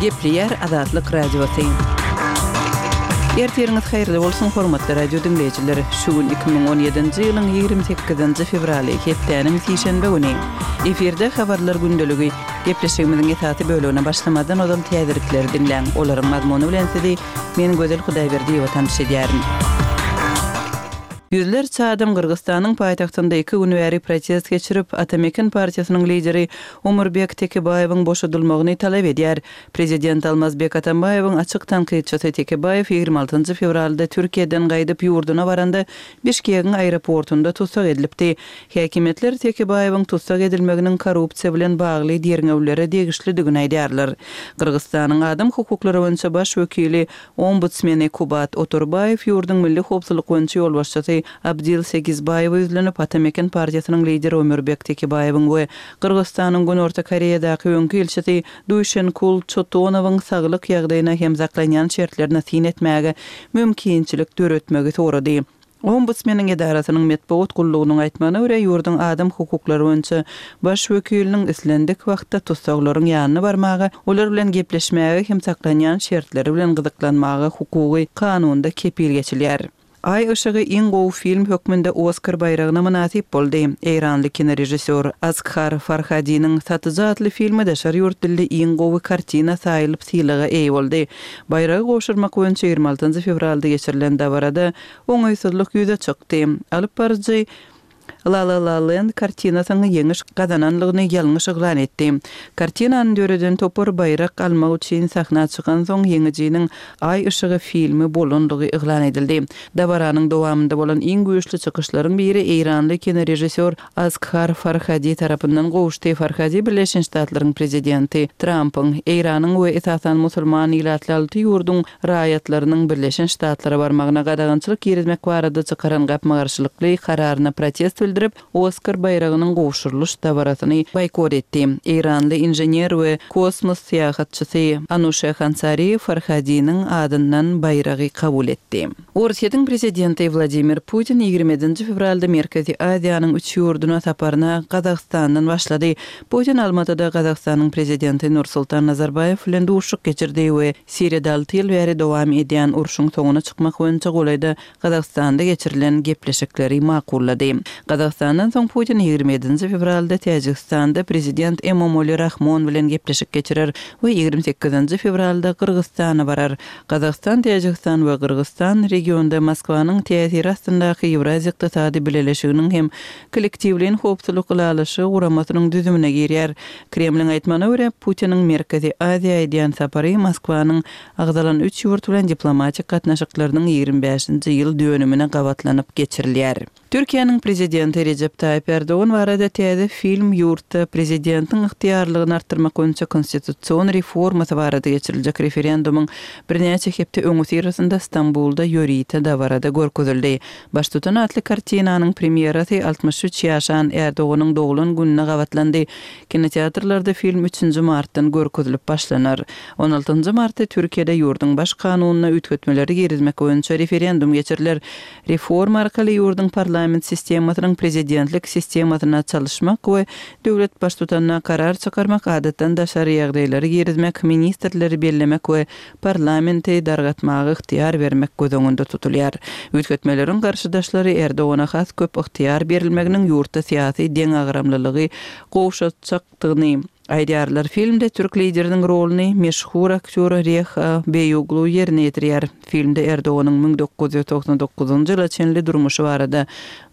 Gepleýär Azatlyk Radiosy. Ertiriňiz haýyrly bolsun, hormatly radio diňleýjiler! Şu gün 2017-nji ýylyň 28-nji fewraly, hepdäniň sişenbe güni. Efirde Habarlar gündeligi. Gepleşigimiziň esasy bölegine başlamazdan ozal täzelikleri diňläň. Olaryň mazmuny bilen sizi men Gözel Hudaýberdiýewa tanyş edýärin. Ýüzlerçe adam Gyrgyzystanyň paýtagtynda iki gün bäri protest geçirip, Ata Meken partiýasynyň lideri Omurbek Tekebaýewiň boşadylmagyny talap edýär. Prezident Almazbek Atambaýewiň açyk tankytçysy Tekebaýew 26 fewralda Türkiýeden gaýdyp ýurduna baranda Bişkegiň aeroportunda tussag edilipdi. Häkimiýetler Tekebaýewiň tussag edilmeginiň korrupsiýa bilen bagly derňewlere degişlidigini aýdýarlar. Gyrgyzystanyň adam hukuklary boýunça baş wekili Ombudsmeni Kubat Otorbaýew ýurduň milli howpsuzlyk boýunça ýolbaşçysy Abdil Segizbaýewe ýüzlenip, Ata-Meken partiýasynyň lideri Ömürbek Tekebaýewiň we Gyrgyzystanyň Günorta Koreýadaky öňki ilçisi Duýşenkul Çotonowyň saglyk ýagdaýyna hem saklanýan şertlerine syn etmäge mümkinçilik döretmegi sorady. Ombudsmeniň edarasynyň metbugat gullugynyň aýtmagyna görä, ýurduň adam hukuklary boýunça baş wekiliniň islendik wagtda tussaglaryň ýanyna barmaga, olar bilen gepleşmäge hem saklanýan şertleri bilen gyzyklanmaga hukugy kanunda kepil geçilýär. Aý yşygy iň gowy film hökmünde Oskar baýragyna mynasyp boldy. Eýranly kinorežissýor Asghar Farhadiniň Satyjy atly filmi daşary ýurt dilli iň gowy kartina saýylyp sylaga eýe boldy. Baýragy gowşurmak boýunça 26 fewralda geçirilen dabarada oňaýsyzlyk ýüze çykdy. Alyp baryjy La La La Land kartinasynyň ýeňiş gazananlygyny ýalňyş yglan etdi. Kartinany döreden topar baýrak almak üçin sahna çykansoň ýeňijiniň Aý yşygy filmi bolanlygy yglan edildi. Dabaranyň dowamynda bolan iň güýçli çykyşlaryň biri eýranly kinorežissýor Asghar Farhadi tarapyndan gowuşdy. Farhadi Birleşen Ştatlaryň prezidenti Trampyň, Eýranyň we esasan musulman ilatly alty ýurduň raýatlarynyň Birleşen Ştatlara barmagyna gadagançylyk girizmek barada çykaran gapma-garşylykly kararyna protest bildirip, Oskar baýragynyň gowşurylyş dabarasyny boýkot etdi. Eýranly inžener we kosmos syýahatçysy Anuşe Hansari Farhadiniň adyndan baýragy kabul etdi. Orsýetiň prezidenti Wladimir Putin 27-nji fewralda Merkezi Aziýanyň üç ýurduna saparyna Gazagystandan başlady. Putin Almatyda Gazagystanyň prezidenti Nursultan Nazarbaýew bilen duşuşyk geçirdi we Siriýada alty ýyl bäri dowam edýän urşuň soňuna çykmak boýunça golaýda Gazagystanda geçirilen gepleşikleri makullady. Gazagystandan soň Putin 27-nji fewralda Täjigistanda prezident Emomali Rahmon bilen gepleşik geçirer we 28-nji fewralda Gyrgyzystana barar. Gazagystan, Täjigistan we Gyrgyzystan regionda Moskwanyň täsiri astyndaky Ýewraziýa Ykdysady Bileleşiginiň hem Kollektiwleýin howpsuzlyk ylalaşygy guramasynyň düzümine girýär. Kremliň aýtmagyna görä, Putiniň Merkezi Aziýa edýän sapary Moskwanyň agzalan üç ýurt bilen diplomatik gatnaşyklarynyň 25-nji ýyl dönümine gabatlanyp geçirilýär. Türkiýäniň Prezidenti Rejep Taýyp Ärdogan barada täze film ýurtda prezidentiň ygtyýarlygyny artdyrmak boýunça konstitusion reformasy barada geçiriljek referendumyň birnäçe hepde öňüsyrasynda Stambulda ýörite dabarada görkezildi. Baştutan atly kartinanyň premýerasy 63 ýaşan Ärdoganyň doglan gününe gabatlandy. Kinoteatrlarda film üçünji martdan görkezilip başlanar. On altynjy martda Türkiýede ýurduň Baş kanunyna üýtgetmeleri girizmek boýunça referendum geçiriler. Reforma arkaly ýurduň parlament sistemasynyň prezidentlik sistemasyna çalyşmak we döwlet baştutanyna karar çykarmak, adatdan daşary ýagdaýlary girizmek, ministrleri bellemek we parlamenti dargatmaga ygtyýar bermek göz öňünde tutulýar. Üýtgetmeleriň garşydaşlary Erdogana has köp ygtyýar berilmeginiň ýurtda syýasy deňagramlylygy gowşatjakdygyny aýdýarlar. Filmde türk lideriniň roluny meşhur aktýor Reha Beýoglu ýerine ýetirýär. Filmde Erdoganyň 1999-njy ýyla çenli durmuşy barada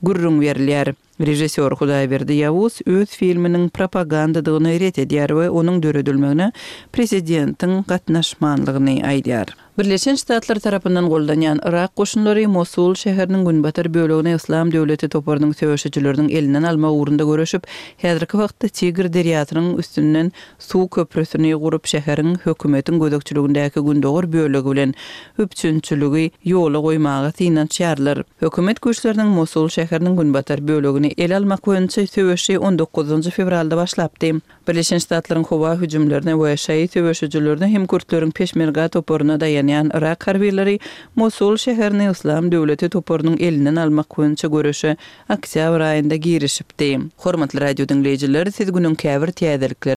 gürrüň berilýär. Režissýor Hudaýberdi Ýawuz öz filminiň propagandadygyny ret edýär we onuň döredilmegine prezidentiň gatnaşmanlygyny aýdýar. Birleşen Ştatlar tarapyndan goldanýan Yrak goşunlary Mosul şäheriniň günbatar bölegini Yslam döwleti toparynyň söweşijileriniň elinden almak ugrunda göreşip, häzirki wagtda Tigr derýasynyň üstünden suw köprüsini gurup, şäheriň hökümetiň gözegçiligindäki gündogar bölegi bilen üpjünçiligi ýola goýmaga synanyşýarlar. Hökümet güýçleriniň Mosul şäheriniň günbatar bölegini ele almak boýunça söweşi on dokuzynjy fewralda başlapdy. Birleşen Ştatlaryň howa hüjümlerine we şaýy söweşijilerine hem kürtleriň Peşmerga toparyna daýanýan yrak harbylary Mosul şäherini Yslam döwleti toparynyň elinden almak boýunça göreşe oktýabr aýynda girişipdi. Hormatly radio diňleýjiler, siz günüň käbir täzelikleri.